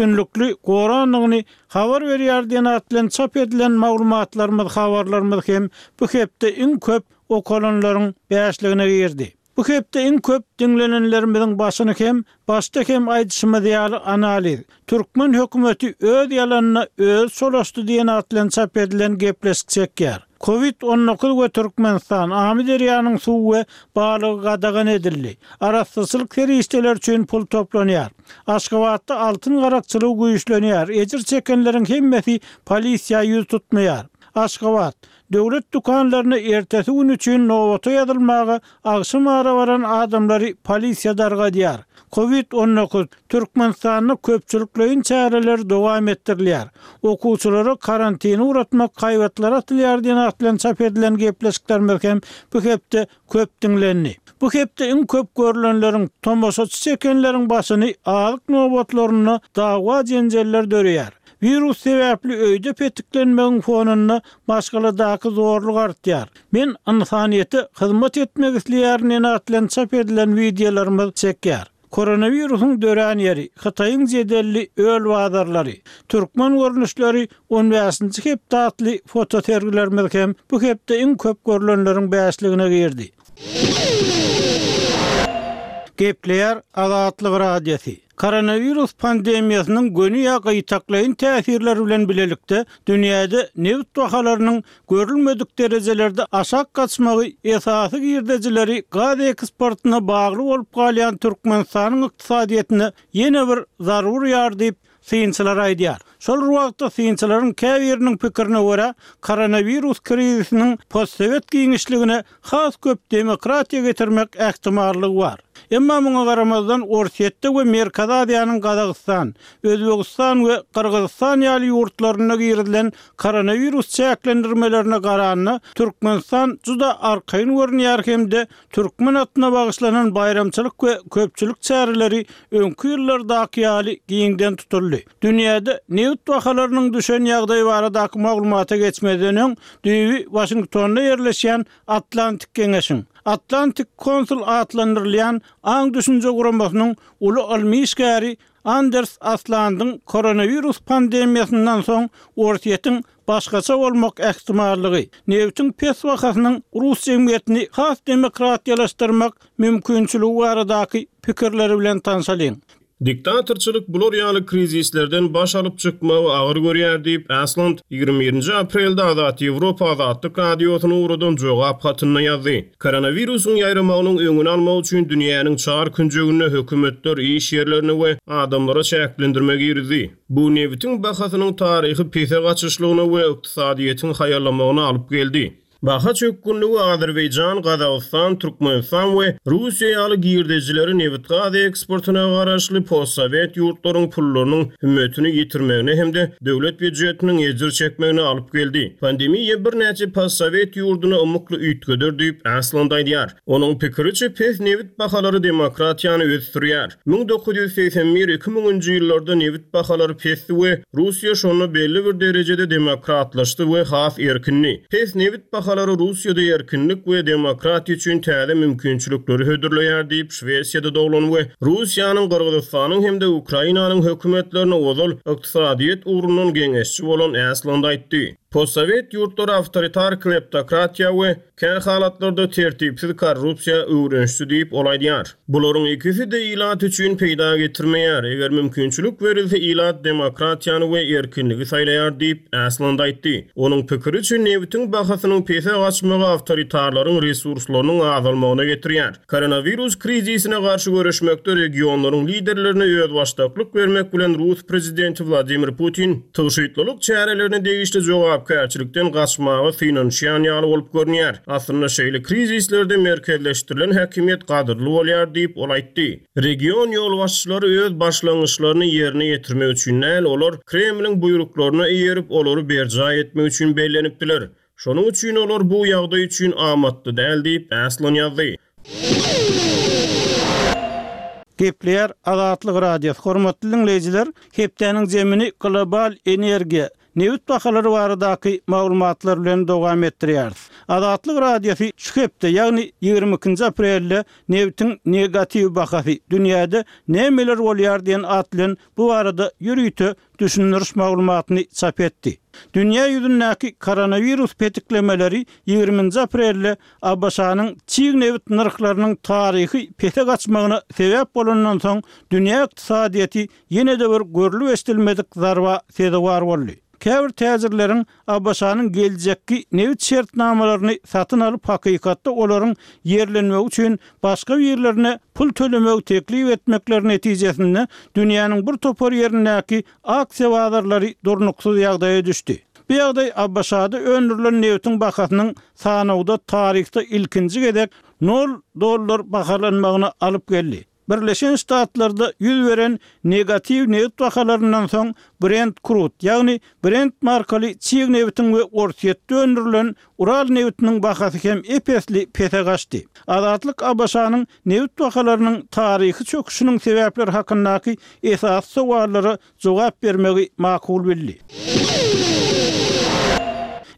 Üstünlikli gorandygyny habar berýär diýen at bilen çap edilen maglumatlarymyz, habarlarymyz hem bu hepde iň köp okalanlaryň bäşligine girdi. Bu hepde iň köp diňlenenlerimiziň başyny hem başda hem aýdyşymyz ýaly analiz, Türkmen hökümeti öz ýalanyna özi çolaşdy diýen at bilen çap edilen gepleşik çekýär. Covid 19 we Türkmenistan, Amyderýanyň suwy we balygy gadagan edildi. Arassaçylyk serişdeleri üçin pul toplanýar. Aşgabatda altyn garakçylygy güýçlenýär, ejir çekenleriň hemmesi polisiýa ýüz tutmaýar. Aşgabat, Döwlet dükanlaryna ertesi gün üçin nobata ýazylmaga agşam ara baran adamlary polisiýa dargadýar. Covid 19, Türkmenistanda köpçülikleýin çäreler dowam etdirilýär. Okuwçylara karantine ugratmak haýbatlary atylýar diýen at bilen çap edilen gepleşiklerimiz hem bu hepde köp diňlendi. Bu hepde iň köp görlenleriň, tomaşaçy çekenleriň başyny azyk nobatlarynda dawa-jenjeller döreýär. Wirus sebäpli öýde petiklenmegiň fonunda maşgaladaky zorluk artýar. Men ynsanyýete hyzmat etmek isleýärin diýen at bilen çap edilen wideolarymyz çekýär. Koronawirusyň dörän ýeri, Hytaýyň jedelli öl bazarlary, türkmen görnüşleri on bäşinji hepde atly fotosergilerimiz hem bu hepde iň köp görlenleriň bäşligine girdi. Gepleýär Azatlyk Radiosy. Koronawirus pandemiýasynyň göni ýa gytaklaýyn täsirleri bilen bilelikde dünýäde nebit bahalarynyň görülmedik derejelerde aşak gaçmagy esasy girdejileri gaz eksportyna bagly bolup galýan Türkmenistanyň ykdysadyýetine ýene bir zarba urýar diýip, synçylar aýdýar. Şol bir wagtda, synçylaryň käbiriniň pikirine görä, koronawirus krizisiniň postsowet giňişligine has köp demokratiýa getirmek ähtimallygy bar. Emma muňa garamazdan, Orsýetde we Merkezi Aziýanyň Gazagystan, Özbegistan we Gyrgyzystan ýaly ýurtlarynda girizilen koronawirus çäklendirmelerine garanda, Türkmenistan juda arkaýyn görünýär hem-de türkmen atyna bagyşlanan baýramçylyk we köpçülik çäreleri öňki ýyllardaky ýaly giňden tutuldy. Dünýäde nebit bahalarynyň düşen ýagdaýy baradaky maglumata geçmezden öň, düýbi Waşingtonda ýerleşýän Atlantik Geňeşiň, Atlantic Council atlandyrylýan aň-düşünje guramasynyň uly ylmy işgäri Anders Aslandyň koronawirus pandemiýasyndan soň Orsýetiň başgaça bolmak ähtimallygy, nebitiň pes bahasynyň rus jemgyýetini has demokratiýalaşdyrmak mümkinçiligi baradaky pikirleri bilen tanşalyň. Diktatorçylyk bular ýaly krizislerden baş alyp çykmagy agyr görýär diýip, Asland 21-nji aprelde Azat Ýewropa Azatlyk Radiosyna ugradan jogap hatynda ýazdy. Koronawirusyň ýaýramagynyň öňüni almak üçin dünýäniň çar künjeginde hökümetler iş ýerlerine we adamlara çäklendirme girizdi. Bu nebitiň bahasynyň taryhy pese gaçyşlygyna we ykdysadyýetiň haýallamagyna alyp geldi. Baha çökgünligi Azerbaýjan, Gazagystan, Türkmenistan we Russiýa ýaly girdejileri nebitgaz eksportyna garaşly postsowet ýurtlaryň pullarynyň hümmetini ýitirmegine hem-de döwlet býujetiniň ejir çekmegine alyp geldi. Pandemiýa birnäçe postsowet ýurduny ymykly üýtgeder diýip, Asland aýdýar. Onuň pikiriçe, pes nebit bahalary demokratiýany ösdürýär. 1981 2000-nji ýyllarda nebit bahalary pesdi we Russiýa şonda belli bir derejede demokratlaşdy we has erkindi. Pes nebit bahalary Russiýada erkinlik we demokratiýa üçin täze mümkinçilikleri hödürleýär diýip, Şwesiýada doglan we Russiýanyň, Gyrgyzystanyň hem-de Ukrainanyň hökümetlerine ozal ykdysadyýet ugrundan geňeşçi bolan Asland aýtdy. Postsowet ýurtlary awtoritar kleptokratiýa we kä halatlarda tertipsiz korrupsiýa öwrenişdi diýip, ol aýdýar. Bularyň ikisi-de ilat üçin peýda getirmeýär. Eger mümkinçilik berilse, ilat demokratiýany we erkinligi saýlaýar diýip, Asland aýtdy. Onuň pikiriçe, nebitiň bahasynyň pese gaçmagy awtoritarlaryň resurslarynyň azalmagyna getirýär. Koronawirus krizisine garşy göreşmekde regionlaryň liderlerine özbaşdaklyk bermek bilen rus prezidenti Wladimir Putin tygşytlylyk çärelerine degişli jogapkärçilikden gaçmaga synanyşýan ýaly bolup görünýär. Aslynda şeýle krizislerde merkezleşdirilen häkimiýet gadyrly bolýar diýip, ol aýtdy. Region ýolbaşçylary öz başlangyçlaryny ýerine ýetirmek üçin däl, olar Kremliň buýruklaryna eýerip, olary berjaý etmek üçin bellenipdiler. Şonuň üçin olar bu ýagdaý üçin amatly däl diýip, Aslan ýazdy. Gepleýär Azatlyk Radiosy. Hormatly diňleýjiler, hepdäniň zemini global energiýa. nebit bahalary baradaky maglumatlar bilen dowam etdirýäris. Azatlyk Radiosy şu hepde, ýagny 22-nji aprelde Nebitiň negatiw bahasy, dünýäde nämeler bolýar diýen at bilen bu barada ýörite düşündiriş maglumatyny çap etdi. Dünýä ýüzündäki koronawirus petiklemeleri ýigriminji aprelde ABŞ-nyň çig nebit nyrhlarynyň taryhy pese gaçmagyna sebäp bolandan soň, dünýä ykdysadyýeti ýene-de bir görlüp-eşidilmedik zarba sezewar boldy. Käbir täjirleriň ABŞ-nyň geljekki nebit şertnamalaryny satyn alyp hakykatda olaryň ýerlenmegi üçin başga birlerine pul tölemegi teklip etmekleri netijesinde dünýäniň bir topar ýerindäki aksiýa bazarlary durnuksyz ýagdaýa düşdi. Bu ýagdaý ABŞ-da öndürilen nebitiň bahasynyň sanawda taryhda ilkinji gezek nol dollar bahalanmagyna alyp geldi. Birleşen Ştatlarda ýüz beren negatiw nebit bahalaryndan soň Brent Crude, ýagny Brent markaly çig nebitiň we Orsýetde öndürilen Ural nebitiniň bahasy hem ep-esli pese gaçdy. Azatlyk ABŞ-nyň nebit bahalarynyň taryhy çöküşiniň sebäpleri hakyndaky esasy sowallara jogap bermegi makul bildi.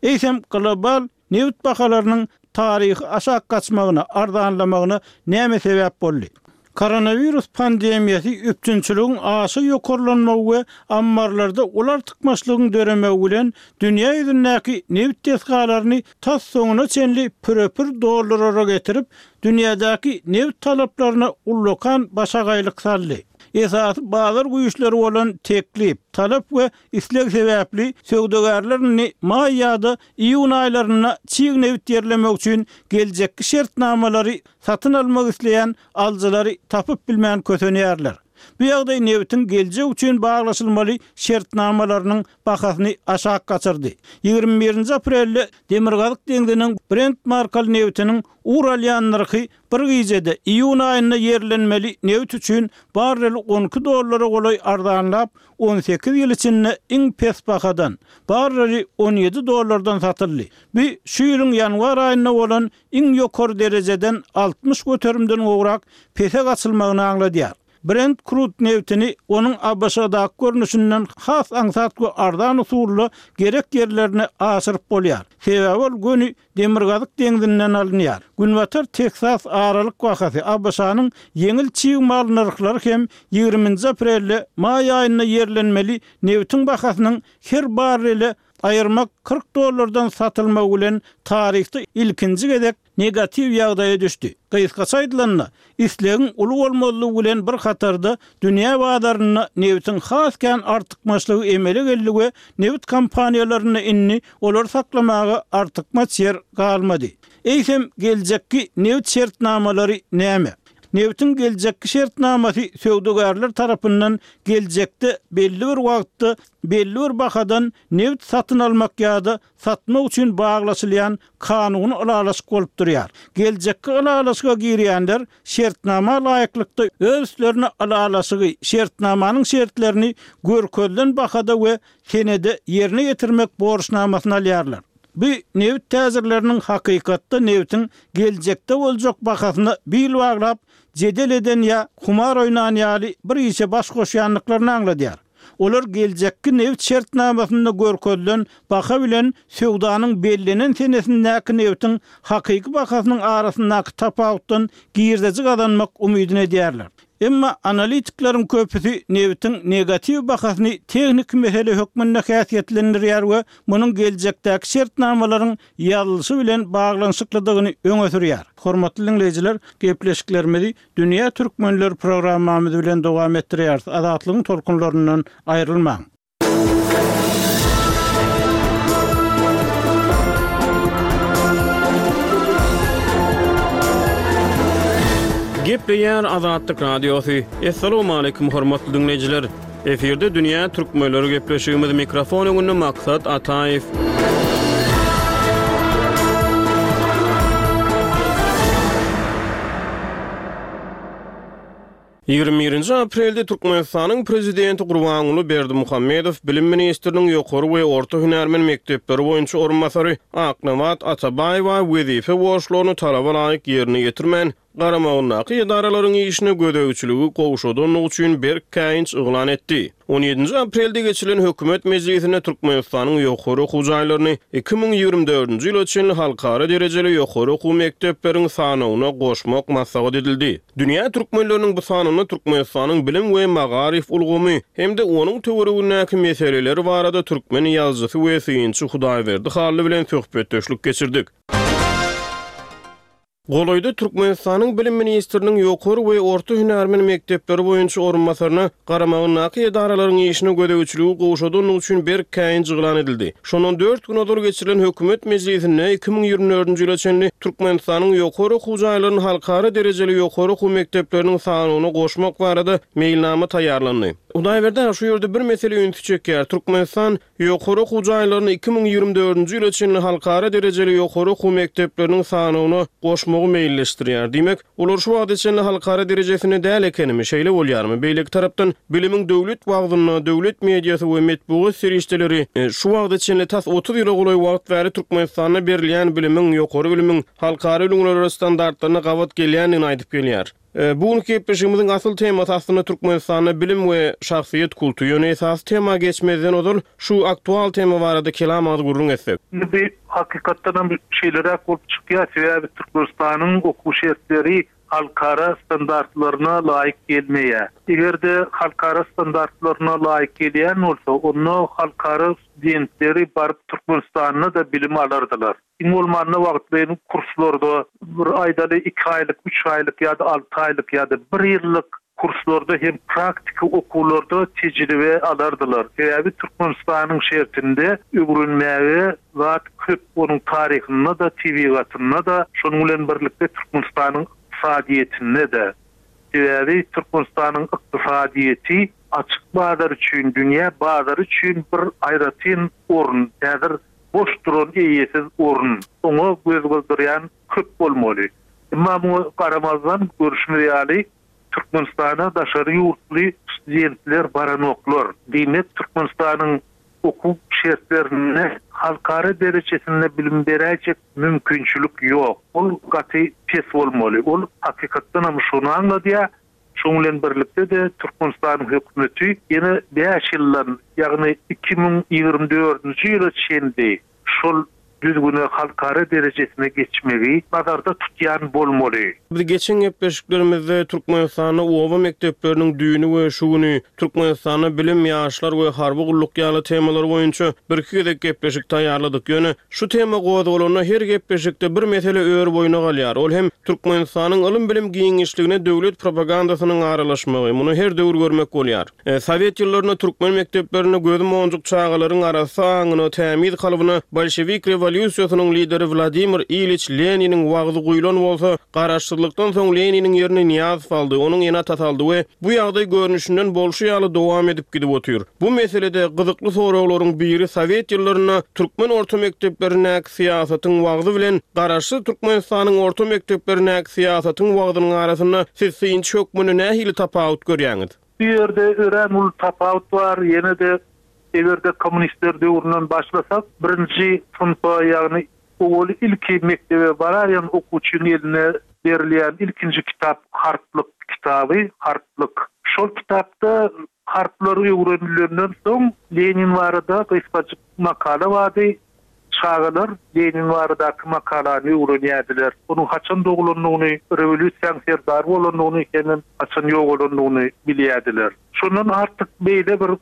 Eýsem, global Nebit bahalarynyň taryhy aşak gaçmagyna, arzanlamagyna näme sebäp boldy? Koronawirus pandemiýasy üpjünçiligiň aşa ýokarlanmagy we ammarlarda uly artykmaçlygyň döremegi bilen dünýä ýüzündäki nebit desgalaryny tas soňuna çenli pürepür doldurara getirip, dünýädäki nebit talaplaryna ullakan başagaýlyk saldy. Esasy bazar güýçleri bolan teklip, talap we isleg sebäpli söwdagärler indi maý ýa-da Iýun aýlarynda çig nebit ýerlemek üçin geljekki şertnamalary satyn almak isleýän alyjylary tapyp bilmän kösenýärler. Bu ýagdaý nebitiň geljek üçin baglaşylmaly şertnamalarynyň bahasyny aşak gaçyrdy. 21 nji aprelde Demirgazyk deňziniň Brent markaly nebitiniň ugur alýan nyrhy bir gijede iýun aýynda ýerlenmeli nebit üçin barreli 12 dollara golaý arzanlap, 18 ýyl içinde iň pes bahadan, barreli 17 dollardan satyldy. Bu şu ýylyň ýanwar aýynda bolan iň ýokary derejeden 60 göterimden gowrak pese gaçylmagyny aňladýar. Brent Crude nebitini onuň ABŞ-daky görnüşinden has aňsat we arzan usulda gerek ýerlerine aşyryp bolýar. Sebäbi ol göni Demirgazyk deňzinden alynýar. Günbatar Teksas aralyk bahasy, ABŞ-nyň ýeňil çig mal nyrhlary hem ýigriminji aprelde maý aýynda ýerlenmeli nebitiň bahasynyň her barrele aýyrmak 40 dollardan satylmagy bilen taryhda ilkinji gezek negatiw ýagdaýa düşdi. Gysgaça aýdylanda, islegiň uly bolmazlygy bilen bir hatarda dünýä bazarynda nebitiň has kän artykmaçlygy emele geldi we nebit kompaniýalarynda indi olary saklamaga artykmaç ýer galmady. Eýsem, geljekki nebit şertnamalary näme? Nebitiň geljekki şertnamasy söwdagärler tarapyndan geljekde belli bir wagtda belli bir bahadan nebit satyn almak ýa-da satmak üçin baglaşylýan kanuny ylalaşyk bolup durýar. Geljekki ylalaşyga girýänler şertnama laýyklykda öz üstlerine ylalaşygy, şertnamanyň şertlerini görkezilen bahada we senede ýerine ýetirmek borçnamasyny alýarlar. Bu nebit täjirleriniň hakykatda nebitiň geljekde boljak bahasyna bil baglap, jedel eden ýa humar oýnan ýaly bir işe baş goşýandyklaryny aňladýar. Olar geljekki nebit şertnamasynda görkezilen baha bilen söwdanyň bellenen senesindäki nebitiň hakyky bahasynyň arasyndaky tapawutdan girdeji gazanmak umydyny edýärler. Emma analitikleriň köpüsi nebitiň negatiw bahasyny tehniki mesele hökmünde häsiýetlendirýär we munuň geljekdäki şertnamalaryň ýazylyşy bilen baglanyşyklydygyny öňe sürýär. Hormatly diňleýjiler, gepleşiklerimizi Dünýä Türkmenleri programmamyz bilen dowam etdirýäris. Azatlygyň tolkunlaryndan aýrylmaň! Gepleýär Azatlyk Radiosy. Assalamualaikum hormatly diňleýjiler. Efirde dünýä türkmenleri gepleşigimiz mikrofon öňünde Maksat Ataýew. 21-nji aprelde Türkmenistanyň Prezidenti Gurbanguly Berdimuhamedow bilim ministriniň ýokary we orta hünärmen mekdepleri boýunça orunbasary Aknabat Atabaýewa wezipe borçlaryny talaba laýyk ýerine ýetirmän, garamagyndaky edaralaryň işine gözegçiligi gowşadandygy üçin berk käýinç yglan etdi. On ýedinji aprelde geçirilen hökümet mejlisinde Türkmenistanyň ýokary okuw jaýlaryny 2024-nji ýyla çenli halkara derejeli ýokary okuw mekdepleriň sanawyna goşmak maslahat edildi. Dünýä türkmenleriniň bu sanynda Türkmenistanyň bilim we magaryf ulgamy hem-de onuň töweregindäki meseleler barada türkmen ýazyjysy we synçy Hudaýberdi Hally bilen söhbetdeşlik geçirdik. Golaýda Türkmenistanyň bilim ministriniň ýokary we orta hünärmen mekdepleri boýunça orunbasaryna garamagyndaky edaralaryň işine gözegçiligi gowşadandygy üçin berk käýinç yglan edildi. Şondan dört gün ozal geçirilen hökümet mejlisinde 2024-nji ýyla çenli Türkmenistanyň ýokary okuw jaýlaryny halkara derejeli ýokary okuw mekdepleriniň sanawyna goşmak barada meýilnama taýýarlandy. Hudaýberdi aga, şu ýerde bir mesele ünsi çekýär. Türkmenistan Ýokary okuw jaýlaryny 2024-nji ýyla çenli halkara derejeli ýokary okuw mekdepleriniň sanawyna goşmagy meýilleşdirýär. Diýmek, olar şu wagta çenli halkara derejesinde däl ekenimi, şeýle bolýarmy? Beýleki tarapdan, bilimiň döwlet wagzynda, döwlet mediasy we metbugat serişdeleri şu wagta çenli tas 30 ýyla golaý wagt bäri Türkmenistanda berilýän bilimiň, ýokary bilimiň halkara ülňülere standartlaryna gabat gelýändigini aýdyp gelýär. Bu günki gepleşigimiziň asyl temasy aslynda Türkmenistanda bilim we şahsyýet kulty. Ýöne esasy tema geçmezden ozal şu aktual tema barada kelam agyz gürrüň etsek. Indi bu hakykatdanam şeýleräk bolup çykýar, sebäbi Türkmenistanyň okuw şertleri halkara standartlaryna laýyk gelmeýär. Eger-de halkara standartlaryna laýyk gelýän bolsa, onda halkara studentleri baryp Türkmenistanda-da bilim alardylar. Iň bolmanda wagtlaýyn kurslarda bir aýdaly iki aýlyk, üç aýlyk ýa-da alty aýlyk ýa-da bir ýyllyk kurslarda hem praktiki okuwlarda tejribe alardylar. Sebäbi Türkmenistanyň şertinde öwrenmäge zat köp, onuň taryhynda-da, tebigatynda-da, şonuň bilen birlikde Türkmenistanyň ykdysadyýetinde-de. Sebäbi Türkmenistanyň ykdysadyýeti açyk bazar üçin, dünýä bazary üçin bir aýratyn orun. Häzir Boş duran eýesiz orun. Oňa göz gyzdyrýan köp bolmaly. Emma muňa garamazdan, görşümiz ýaly, Türkmenistana daşary ýurtly studentler baranoklar. Diýmek, Türkmenistanyň okuw şertlerinde halkara derejesinde bilim beräýjek mümkinçilik ýok. Ol gaty pes bolmaly. Ol hakykatdanam şony aňladýar, Şonuň bilen birlikde-de, Türkmenistanyň hökümeti ýene bäş ýyldan, ýagny 2024-nji ýyla çenli şol düzgüne halkara derejesine geçmegi nazarda tutýan bolmaly. Biz geçen gepleşiklerimizde Türkmenistanda oba mekdepleriniň düýni we şu güni, Türkmenistanda bilim, ýaşlar we harby gulluk ýaly temalar boýunça birki gezek gepleşik taýýarladyk. Ýöne Şu tema gozgalanda her gepleşikde bir mesele ör boýuna galýar, ol hem Türkmenistanyň ylym-bilim giňişligine döwlet propagandasynyň aralaşmagy. Muny her döwür görmek bolýar. Sowet ýyllarynda türkmen mekdeplerinde gözi monjuk çagalaryň arassa aňyna, tämiz kalbyna bolşewik rewolýusiýasynyň lideri Wladimir Iliç Leniniň wagzy guýlan bolsa, garaşsyzlykdan soň Leniniň ýerini Nyýazow aldy, onuň ene-atasy aldy we bu ýagdaý görnüşinden bolşy ýaly dowam edip gidip otyr. Bu meselede gyzykly soraglaryň biri sowet ýyllarynda türkmen orta mekdeplerindäki syýasatyň wagzy bilen Garaşsyz Türkmenistanyň orta mekdeplerindäki syýasatyň wagzynyň arasynda siz synçy hökmünde nähili tapawut görýäňiz? Bu ýerde örän uly tapawut bar. Ýene-de eger-de kommunistler döwründen başlasak, birinji synpa, ýagny Owaly ilki mekdebe baraýan okuwçyň eline berilýän ilkinji kitap harplyk kitaby, harplyk. Şol kitapda harplar öwrenilenden soň Lenin barada gysgajyk makala bardy. Çagalar Lenin baradaky makalany öwrenýärdiler. Onuň haçan doglandygyny, rewolýusiýaň serdary bolandygyny hemem haçan ýogalandygyny bilýärdiler. Şondan artyk beýle bir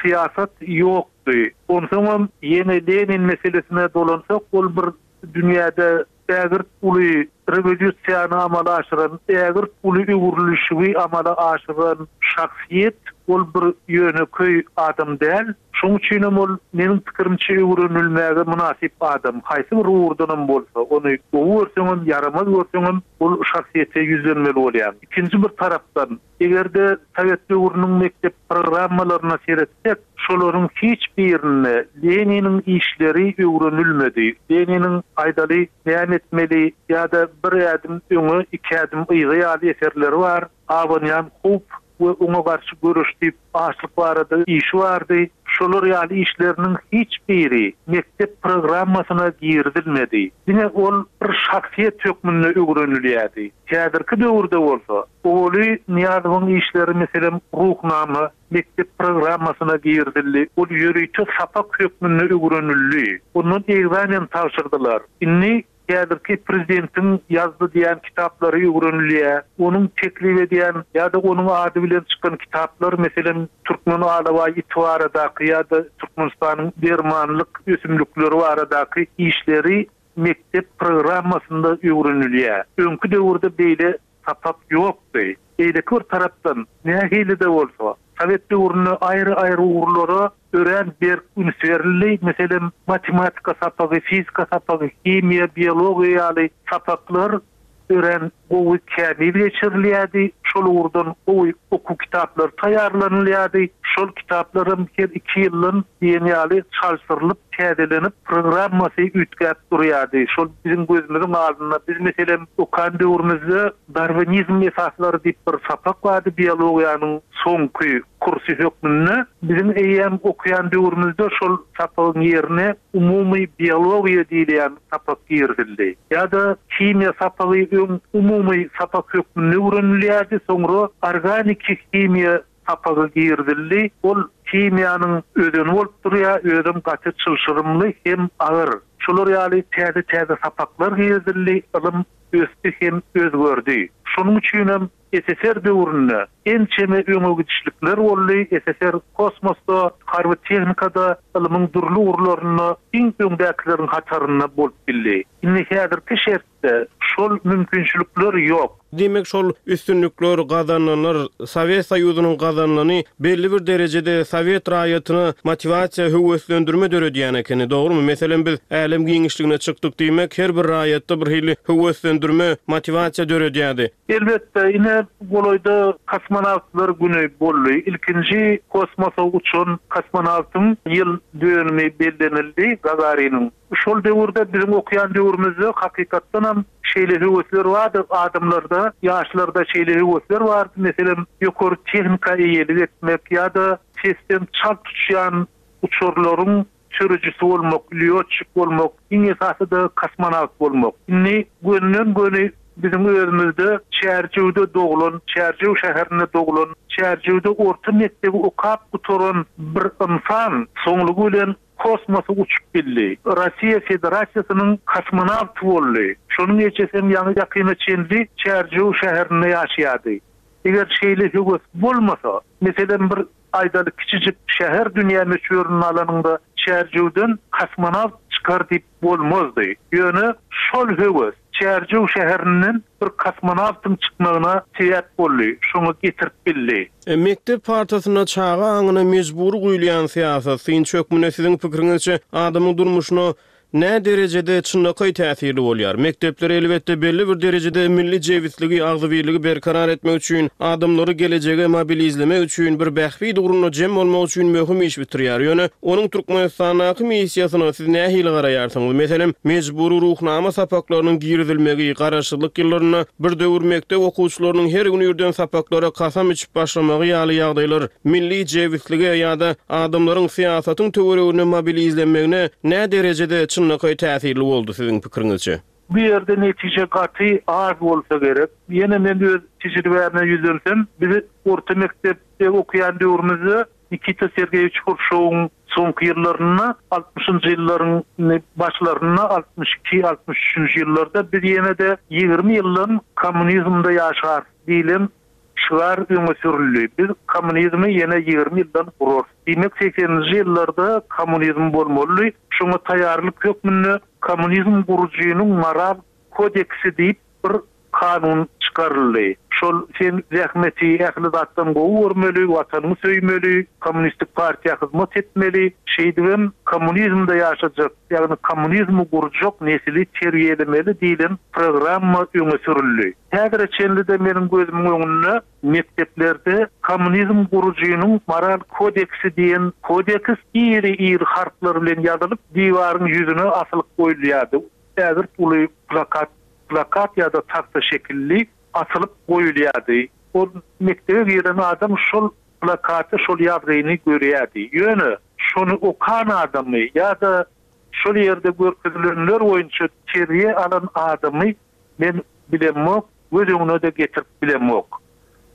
syýasat ýokdy. Onsoňam ýene Lenin meselesine dolansak, ol bir dünýäde ägirt uly rewolýusiýany amala aşyran, ägirt uly öwrülişigi amala aşyran şahsyýet, ol bir ýönekeý adam däl. Şonuň üçinem ol, meniň pikirimçe, öwrenilmäge mynasyp adam. Haýsy bir ugurdanam bolsa, ony gowy görseňem, ýaramaz görseňem, ol şahsyýete ýüzlenmeli bolýaň. Ikinji bir tarapdan, Eger-de sowet döwrüniň mekdep programmalaryna seretsek, şolaryň hiç birinde Leniniň işleri öwrenilmedi. Leniniň Aýdaly, näme etmeli ýa-da Bir ädim öňe, iki ädim yza ýaly eserleri bar. Abanýan howp we oňa garşy göreş diýip açlyk barada işi bardy. Şolar ýaly işleriniň hiç biri mekdep programmasyna girizilmedi. Diňe ol bir şahsyýet hökmünde öwrenilýärdi. Häzirki döwürde bolsa, Oguly Nyýazowyň işleri, meselem, Ruhnama, mekdep programmasyna girizildi. Ol ýörite sapak hökmünde öwrenildi. Ondan ekzamen tabşyrdylar. Indi Häzirki prezidentiň ýazdy diýen kitaplary öwrenilýär. Onuň teklip edýän ýa-da onuň ady bilen çykan kitaplar, meselem, türkmen alabaý iti baradaky ýa-da Türkmenistanyň dermanlyk ösümlikleri baradaky işleri mekdep programmasynda öwrenilýär. Öňki döwürde beýle sapak ýokdy. Beýleki bir tarapdan, nähili-de bolsa, sowet döwründe aýry-aýry ugurlara örän berk üns berildi. Meselem, matematika sapagy, fizika sapagy, himiýa, biologiýa ýaly sapaklar örän gowy, kämil geçirilýärdi. Şol ugurdan gowy okuw kitaplary taýýarlanylýardy. Şol kitaplaram her iki ýyldan diýen ýaly çalşyrylyp, täzelenip, programmasy üýtgäp durýardy. Şol biziň gözümiziň alnynda, biz, meselem, okan döwrümizde Darwinizm esaslary diýip bir sapak bardy biologiýanyň soňky kursy hökmünde. Biziň eýýäm okaýan döwrümizde şol sapagyň ýerine umumy biologiýa diýilýän sapak girizildi. Ýa-da himiýa sapagy öň umumy sapak hökmünde öwrenilýärdi, soňra organiki himiýa sapagy girizildi. Ol himiýanyň özeni bolup durýar, özem gaty çylşyrymly hem agyr. Şolar ýaly täze-täze sapaklar girizildi, ylym ösdi hem özgerdi. Şonuň üçinem SSR döwründe ençeme öňe gidişlikler boldy, SSR kosmosda, harby tehnikada, ylmyň dürli ugurlarynda iň öňdäkileriň hatarynda bolup bildi. Indi häzirki şertde şol mümkinçilikler ýok. Diýmek, şol üstünlikler, gazanylanlar, Sowet Soýuzynyň gazanylany belli bir derejede sowet raýatyna motiwasiýa, höweslendirme döredýän ekeni, dogrumy? Meselem, biz älem giňişligine çykdyk diýmek, her bir raýatda bir hili höweslendirme, motiwasiýa döredýärdi. Elbetde, ine, golaýda Kosmonawtlar güni boldy. Ilkinji kosmosa uçan kosmonawtyň ýyl dönümi bellenildi, Gagariniň. Şol döwürde, biziň okaýan döwrümizde hakykatdanam şeýle höwesler bardy, adamlarda, ýaşlarda şeýle höwesler bardy, meselem, ýokary tehnika eýelik etmek ýa-da sesden çalt uçýan uçarlaryň sürüjisi bolmak, lýotçik bolmak, iň esasy-da kosmonawt bolmak. Indi gönüden-göni biziň özümizde Çärjewde doglan, Çärjew şäherinde doglan, Çärjewde orta mekdebi okap gutaran bir ynsan soňlugy bilen kosmosa uçup bildi. Russiýa Federasiýasynyň kosmonawty boldy. Şonuň ejesem ýaňy-ýakyna çenli Çärjew şäherinde ýaşaýardy. Eger şeýle höwes bolmasa, meselem, bir aýdaly kiçijik şäher dünýä möçberinde alanyňda Çärjewden kosmonawt çykar diýip bolmazdy. Ýöne şol höwes Çärjew şäherinden bir kosmonawtyň çykmagyna sebäp boldy, şoňa getirip bildi. Mekdep partasynda çaga aňyna mejbury guýulýan syýasat, synçy hökmünde siziň pikiriňizçe, adamyň durmuşyna nä derejede çynlakaý täsirli bolýar? Mekdepler, elbetde, belli bir derejede milli jebisligi, agzybirligi berkarar etmek üçin, adamlary gelejege mobilizlemek üçin, bir bähbit ugrunda jem bolmak üçin möhüm iş bitirýär. Ýöne onuň Türkmenistandaky missiýasyna siz nähili garaýarsyňyz? Meselem, mejbury Ruhnama sapaklarynyň girizilmegi, garaşsyzlyk ýyllarynda bir döwür mekdep okuwçylarynyň her gün irden sapaklara kasam içip başlamagy ýaly ýagdaýlar milli jebislige ýa-da adamlaryň syýasatyň töwereginde mobilizlenmegine nä derejede çynlakaý täsirli boldy siziň pikiriňizçe? Bu ýerde netije gaty az bolsa gerek. Ýene men öz tejribäme ýüzlensem, biz orta mekdepde okaýan döwrümizde Nikita Sergeýewiç Hruşýowyň soňky ýyllarynda, altmyşynjy ýyllaryň başlarynda, 62, 63-nji ýyllarda biz ýene-de 20 ýyldan kommunizmde ýaşarys diýlen şygar öňe sürüldi. Biz kommunizmi ýene 20 ýyldan gurarys. Diýmek, segseninji ýyllarda kommunizm bolmalydy. Şoňa taýýarlyk hökmünde kommunizm gurujynyň moral kodeksi diýip bir kanun çykaryldy. Şol sen zähmeti ähli zatdan gowy görmeli, watanyňy söýmeli, kommunistik partiýa hyzmat etmeli, şeýdibem kommunizmde ýaşajak, ýagny kommunizmi gurjak nesili terbiýelemeli diýlen programma öňe sürüldi. Häzire çenli-de meniň gözümiň öňünde mekdeplerde kommunizm gurujynyň moral kodeksi diýen kodeks iri-iri harplar bilen ýazylyp, diwaryň ýüzüne asylyp goýulýardy. Ägirt uly plakat plakat ýa-da tagta şekilli asylyp goýulýardy. Ol mekdebe giren adam şol plakaty, şol ýazgyny görýärdi. Ýöne şol. şony okan adamy ýa-da şol ýerde görkezilenler boýunça terbiýe alan adamy men bilemok, göz öňüne-de getirip bilemok.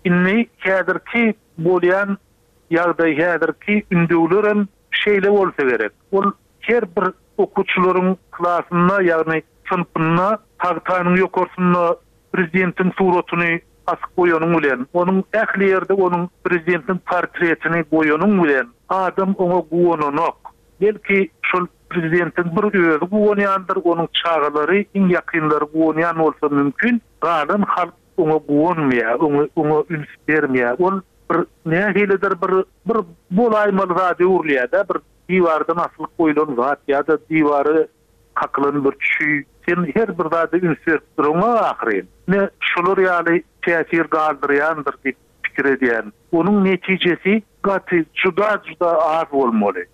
Indi häzirki bolýan ýagdaý, häzirki ündewlerem şeýle bolsa gerek. Ol her bir okuwçylaryň klasynda, ýagny synpynda tagtanyň ýokarsynda prezidentiň suratyny asyp goýanyň bilen, onuň ähli ýerde onuň prezidentiň portretini goýanyň bilen adam oňa guwananok. Belki şol prezidentiň bir özi guwanýandyr, onuň çagalary, iň ýakynlary guwanýan bolsa mümkin, galan halk oňa guwanmaýar, oňa oňa üns bermeýär. Ol bir nähilidir bir bir bolaýmaly zada öwrülýär-de, bir diwardan asylyp goýlan zat ýa-da diwara kakylan bir çüý. Sen her bir zada üns berip duraňok ahyryn. Ine, şolar ýaly täsir galdyrýandyr diýip pikir edýän. Onuň netijesi gaty juda-juda az bolmaly.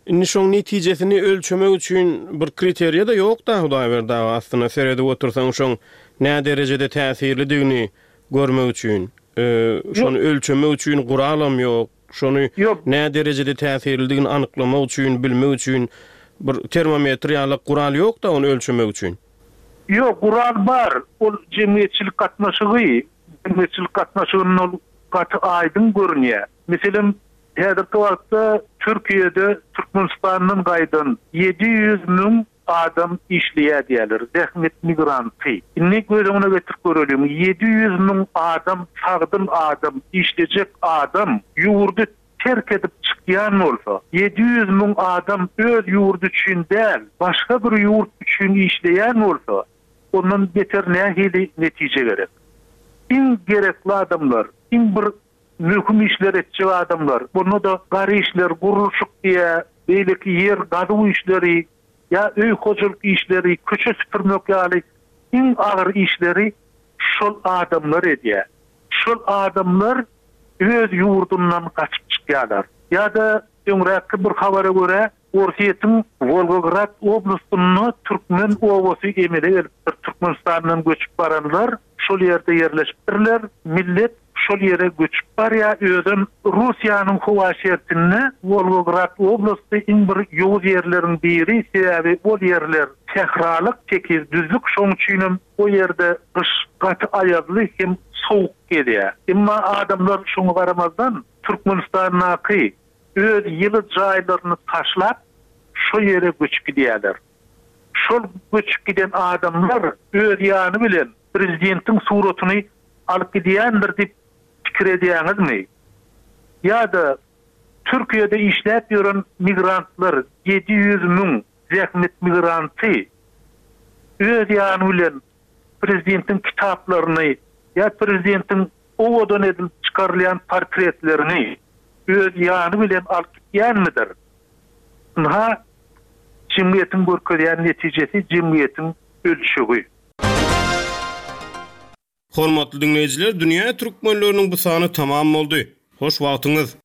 Indi şoň netijesini ölçemek üçin bir kriteriýa-da ýok-da Hudaýberdi aga, aslynda seredip otursaň şoň näderejede täsirlidigini görmek üçin, şony ölçemek üçin guralam ýok, şony näderejede täsirlidigini anyklamak üçin, bilmek üçin bir termometr ýalak gural ýok-da ony ölçemek üçin. Ýok, gural bar, ol jemgyýetçilik gatnaşygy, jemgyýetçilik gatnaşygynda ol gaty aýdyň görünýär. Meselem, häzirki wagtda Türkiýede Türkmenistandan gaýdan 700 müň adam işleýär diýýärler, zähmet migranty. Indi göz öňüne getirip göreliň, 700 müň adam sagdyn adam, işlejek adam ýurdy terk edip çykýan bolsa, 700 müň adam öz ýurdy üçin däl, başga bir ýurt üçin işleýän bolsa, ondan beter nähili netije gerek? Iň gerekli adamlar, iň bir Möhüm işler etjek adamlar, onda-da gar işler, gurluşyk diýä, beýleki ýer gazuw işleri ýa öý hojalyk işleri, köçe süpürmek ýaly iň agyr işleri şol adamlar edýär. Şol adamlar öz ýurdundan gaçyp çykýarlar. Ýa-da öňräkki bir habara görä, Orsýetiň Wolgograd oblastynda türkmen obasy emele gelipdir. Türkmenistandan göçüp baranlar şol ýerde ýerleşipdirler. Millet şol ýere göçüp barýar. Özem Russiýanyň howa şertinde Wolgograd oblasty iň bir ýowuz ýerleriň biri. Sebäbi ol ýerler sähralyk, tekiz düzlük. Şonuň üçinem o ýerde gyş gaty aýazly hem sowuk gelýär. Emma adamlar şoňa garamazdan Türkmenistandaky öz ýyly jaýlaryny taşlap, şo ýere göçüp gidýärler. Şol göçüp giden adamlar öz ýany bilen prezidentiň suratyny alyp gidýändir diýip pikir edýäňizmi? Ýa-da Türkiýede işläp ýören migrantlar 700 müň zähmet migranty öz ýany bilen prezidentiň kitaplaryny ýa prezidentiň owadan edilip çykarylýan portretlerini öz ýany bilen alyp gitýänmidir? Ynha, jemgyýetiň görkezýän netijesi, jemgyýetiň ölçegi. Hormatly diňleýjiler, Dünýä türkmenleriniň bu sany tamam boldy. Hoş wagtyňyz!